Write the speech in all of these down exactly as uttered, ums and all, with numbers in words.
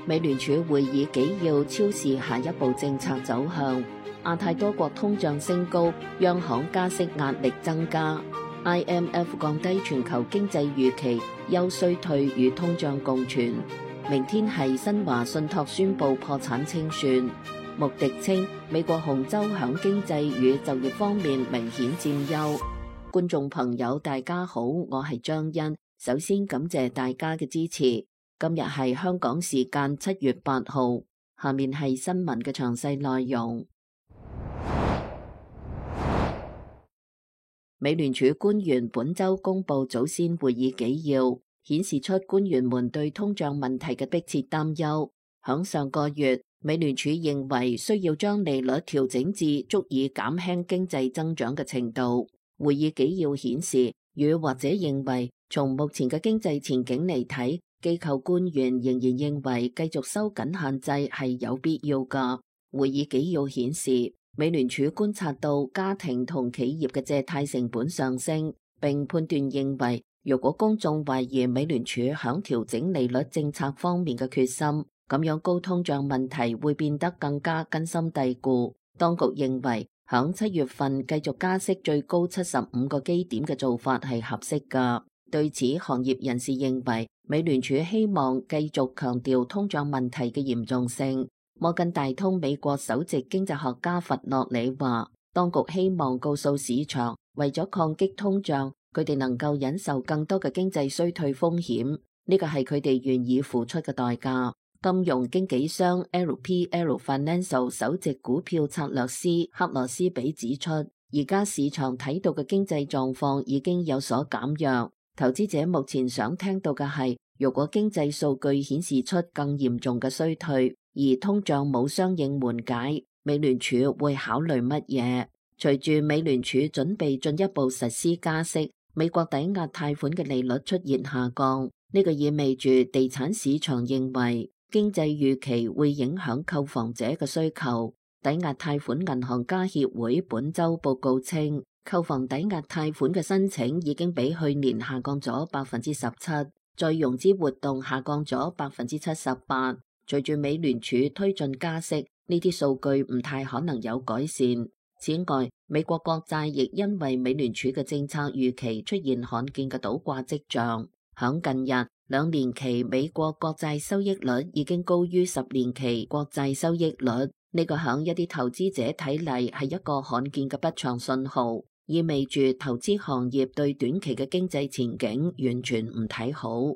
美聯儲會議紀要超視下一步政策走向。亞太多國通脹升高，央行加息壓力增加。I M F 降低全球經濟預期，優衰退與通脹共存。明天係新華信託宣布破產清算。穆迪稱美國紅州響經濟與就業方面明顯佔優。觀眾朋友大家好，我係張欣，首先感謝大家嘅支持。今日係香港時間七月八號，下面係新聞嘅詳細內容。美聯儲官員本周公布早先會議紀要，顯示出官員們對通脹問題嘅迫切擔憂。響上個月，美聯儲認為需要將利率調整至足以減輕經濟增長嘅程度。會議紀要顯示，與或者認為從目前嘅經濟前景嚟睇，機構官員仍然認為繼續收緊限制係有必要㗎。會議紀要顯示，美聯儲觀察到家庭同企業嘅借貸成本上升，並判斷認為，如果公眾懷疑美聯儲響調整利率政策方面嘅決心，咁樣高通脹問題會變得更加根深蒂固。當局認為，響七月份繼續加息最高七十五個基點嘅做法係合適㗎。對此，行業人士認為，美聯儲希望繼續強調通脹問題嘅嚴重性。摩根大通美國首席經濟學家弗洛里話，當局希望告訴市場，為咗抗擊通脹，佢哋能夠忍受更多嘅經濟衰退風險，呢個係佢哋願意付出嘅代價。金融經紀商 L P L Financial 首席股票策略師克羅斯比指出，而家市場睇到嘅經濟狀況已經有所減弱。投資者目前想聽到嘅係，如果經濟數據顯示出更嚴重嘅衰退，而通脹冇相應緩解，美聯儲會考慮乜嘢？隨住美聯儲準備進一步實施加息，美國抵押貸款嘅利率出現下降，呢個意味住地產市場認為經濟預期會影響購房者嘅需求。抵押貸款銀行家協會本周報告稱，購房抵押貸款嘅申請已經比去年下降咗百分之十七，再融資活動下降咗百分之七十八。隨住美聯儲推進加息，呢啲數據唔太可能有改善。此外，美國國債亦因為美聯儲嘅政策預期出現罕見嘅倒掛跡象。響近日，兩年期美國國債收益率已經高於十年期國債收益率，呢個響一啲投資者睇嚟係一個罕見嘅不祥信號，意味住投資行業對短期嘅經濟前景完全唔睇好。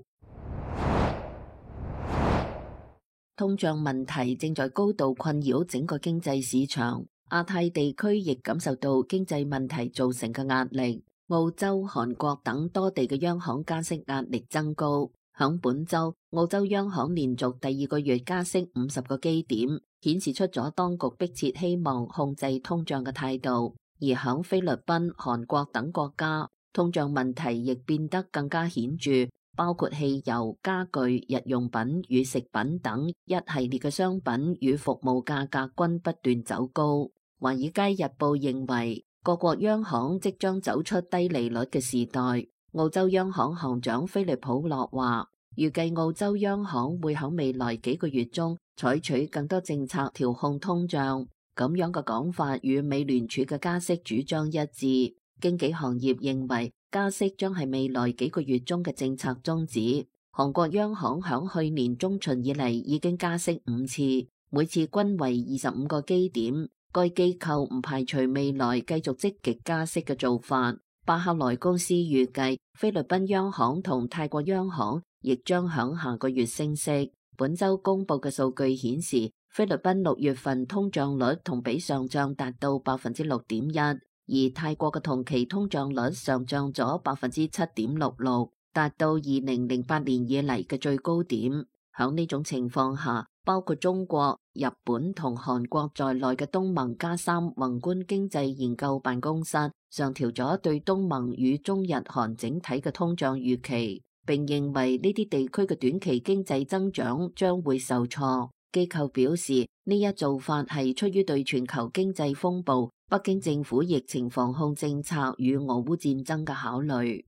通脹問題正在高度困擾整個經濟市場，亞太地區亦感受到經濟問題造成嘅壓力。澳洲、韓國等多地嘅央行加息壓力增高。響本周，澳洲央行連續第二個月加息五十個基點，顯示出咗當局迫切希望控制通脹嘅態度。而響菲律賓、韓國等國家，通脹問題亦變得更加顯著。包括汽油、家具、日用品與食品等一系列嘅商品與服務價格均不斷走高。華爾街日報認為，各國央行即將走出低利率嘅時代。澳洲央行行長菲利普洛話，預計澳洲央行會喺未來幾個月中採取更多政策調控通脹。咁樣嘅講法與美聯儲嘅加息主張一致。經紀行業認為，加息將係未來幾個月中嘅政策宗旨。韓國央行響去年中旬以嚟已經加息五次，每次均為二十五個基點。該機構唔排除未來繼續積極加息嘅做法。巴克萊公司預計菲律賓央行同泰國央行亦將響下個月升息。本周公布嘅數據顯示，菲律賓六月份通脹率同比上漲達到百分之六點一。而泰國嘅同期通脹率上漲咗百分之七點六六，達到二零零八年以嚟嘅最高點。響呢種情況下，包括中國、日本同韓國在內嘅東盟加三宏觀經濟研究辦公室上調咗對東盟與中日韓整體嘅通脹預期，並認為呢啲地區嘅短期經濟增長將會受挫。機構表示，呢一做法係出於對全球經濟風暴、北京政府疫情防控政策與俄烏戰爭嘅考慮。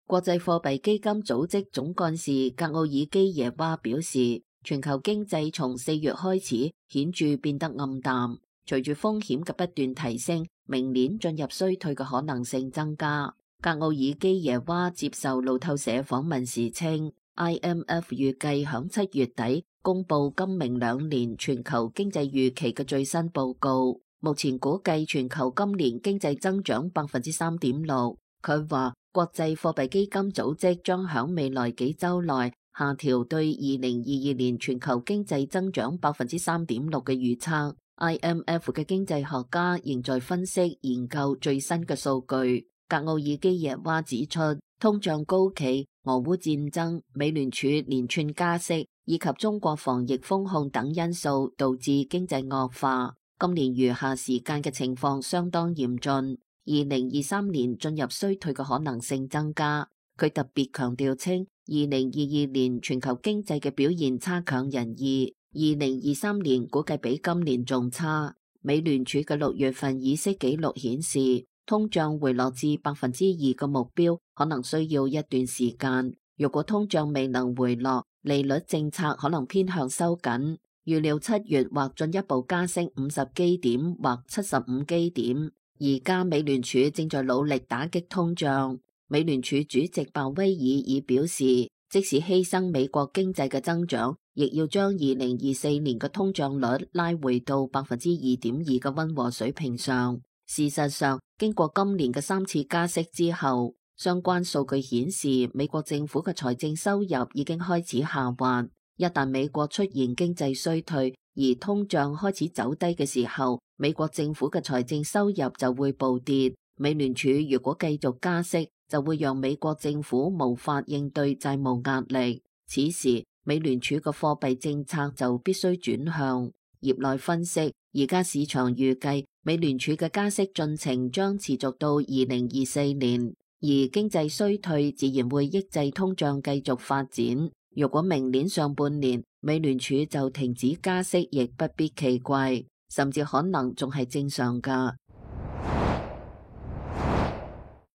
國際貨幣基金組織總幹事格奧爾基耶娃表示，全球經濟從四月開始顯著變得暗淡，隨住風險嘅不斷提升，明年進入衰退嘅可能性增加。格奧爾基耶娃接受路透社訪問時稱，I M F 預計響七月底公布今明兩年全球經濟預期嘅最新報告，目前估計全球今年經濟增長百分之三點六。佢話國際貨幣基金組織將響未來幾週內下調對二零二二年全球經濟增長百分之三點六嘅預測。I M F 嘅經濟學家仍在分析研究最新嘅數據。格奧爾基耶娃指出，通脹高企、俄烏戰爭、美聯儲連串加息以及中國防疫封控等因素導致經濟惡化。今年餘下時間嘅情況相當嚴峻。二零二三年進入衰退嘅可能性增加。佢特別強調稱，二零二二年全球經濟嘅表現差強人意，二零二三年估計比今年仲差。美聯儲嘅六月份議息記錄顯示，通脹回落至百分之二嘅目標可能需要一段時間。如果通脹未能回落，利率政策可能偏向收緊。預料七月或進一步加息五十基點或七十五基點。而家美聯儲正在努力打擊通脹。美聯儲主席鮑威爾已表示，即使犧牲美國經濟嘅增長，亦要將二零二四年嘅通脹率拉回到百分之二點二嘅溫和水平上。事實上，經過今年嘅三次加息之後，相關數據顯示美國政府嘅財政收入已經開始下滑。一旦美國出現經濟衰退，而通脹開始走低嘅時候，美國政府嘅財政收入就會暴跌。美聯儲如果繼續加息，就會讓美國政府無法應對債務壓力。此時，美聯儲嘅貨幣政策就必須轉向。業內分析，而家市場預計美聯儲嘅加息進程將持續到二零二四年，而經濟衰退自然會抑制通脹繼續發展。如果明年上半年美聯儲就停止加息，亦不必奇怪，甚至可能仲係正常㗎。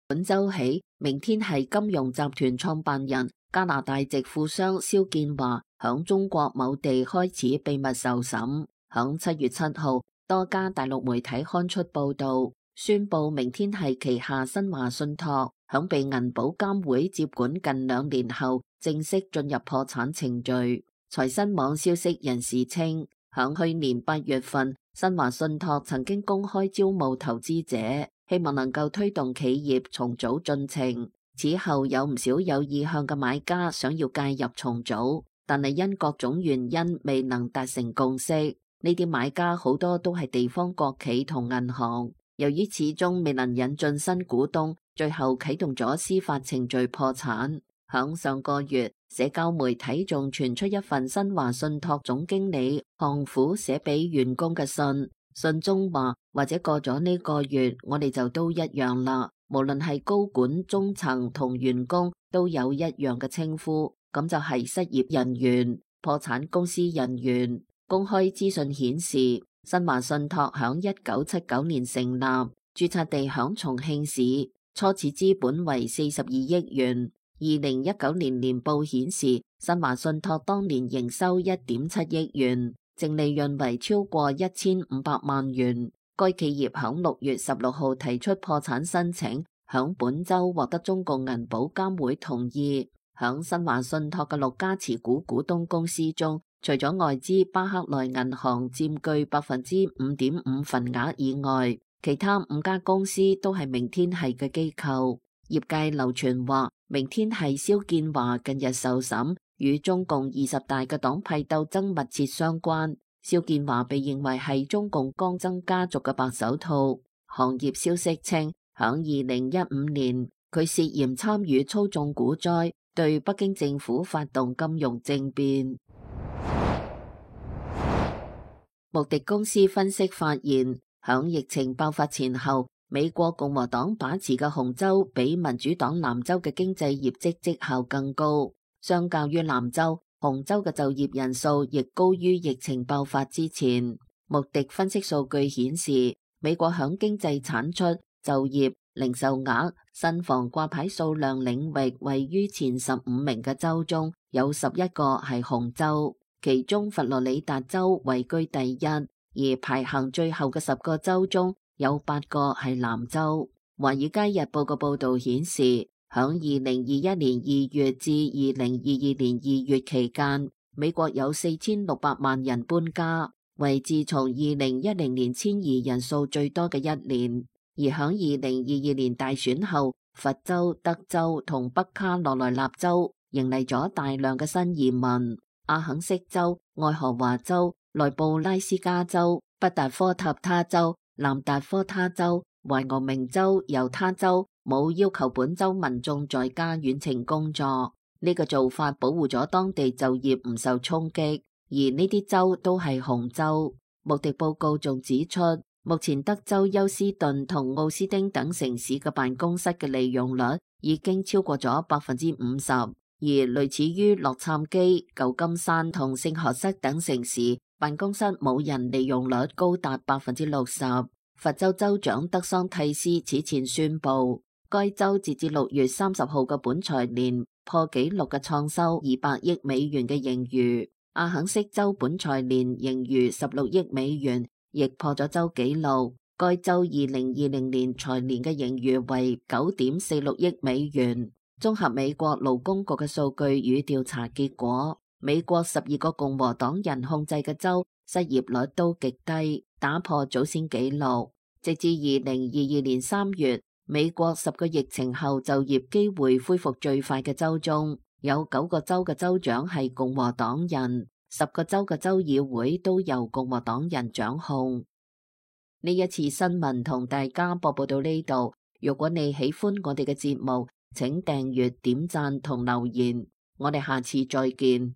本週起，明天係金融集團創辦人加拿大籍富商肖建華響中國某地開始秘密受審。響七月七號，多家大陸媒體刊出報道，宣布明天係旗下新華信託響被銀保監會接管近兩年後，正式進入破產程序。財新網消息人士稱，響去年八月份，新華信託曾經公開招募投資者，希望能夠推動企業重組進程。此後有唔少有意向嘅買家想要介入重組，但係因各種原因未能達成共識。呢啲買家好多都係地方國企同銀行，由於始終未能引進新股東，最後啟動咗司法程序破產。響上個月，社交媒體仲傳出一份新華信託總經理項虎寫俾員工嘅信，信中話，或者過咗呢個月，我哋就都一樣啦，無論係高管、中層同員工都有一樣嘅稱呼，咁就係失業人員、破產公司人員。公開資訊顯示，新華信託響一九七九年成立，註冊地響重慶市，初始資本為四十二億元。二零一九年年報顯示，新華信託當年營收一點七億元，淨利潤為超過一千五百萬元。該企業響六月十六號提出破產申請，響本周獲得中共銀保監會同意。響新華信託嘅六家持股股東公司中，除咗外資巴克萊銀行佔據百分之五點五份額以外，其他五家公司都係明天係嘅機構。業界流傳話，明天係肖建華近日受審，與中共二十大嘅黨派鬥爭密切相關。肖建華被認為係中共江曾家族嘅白手套。行業消息稱，響二零一五年，佢涉嫌參與操縱股災，對北京政府發動金融政變。穆迪公司分析發現，響疫情爆發前後，美國共和黨把持嘅紅州比民主黨藍州嘅經濟業績績效更高。相較於藍州，紅州嘅就業人數亦高於疫情爆發之前。穆迪分析數據顯示，美國響經濟產出、就業、零售額、新房掛牌數量領域位於前十五名嘅州中，有十一個係紅州，其中佛羅里達州位居第一，而排行最後嘅十個州中有八個係藍州。華爾街日報嘅報導顯示，響二零二一年二月至二零二二年二月期間，美國有四千六百萬人搬家，為自從二零一零年遷移人數最多嘅一年。而響二零二二年大選後，佛州、德州同北卡羅來納州迎嚟咗大量嘅新移民。阿肯色州、愛荷華州、內布拉斯加州、北達科塔他州、南達科他州、懷俄明州、猶他州冇要求本州民眾在家遠程工作，呢個做法保護咗當地就業唔受衝擊。而呢啲州都係紅州。穆迪報告仲指出，目前德州休斯頓同奧斯丁等城市嘅辦公室嘅利用率已經超過咗百分之五十，而類似於洛杉磯、舊金山同聖荷塞等城市，辦公室冇人利用率高達百分之六十。佛州州長德桑蒂斯此前宣布，該州截至六月三十號嘅本財年破紀錄嘅創收二百億美元嘅盈餘。阿肯色州本財年盈餘十六億美元，亦破咗州紀錄。該州二零二零年財年嘅盈餘為九點四六億美元。綜合美國勞工局嘅數據與調查結果，美國十二個共和黨人控制嘅州失業率都極低，打破早先紀錄。直至二零二二年三月，美國十個疫情後就業機會恢復最快嘅州中，有九個州嘅州長係共和黨人，十個州嘅州議會都由共和黨人掌控。呢一次新聞同大家播報到呢度，如果你喜歡我哋嘅節目，請訂閱、點讚同留言，我哋下次再見。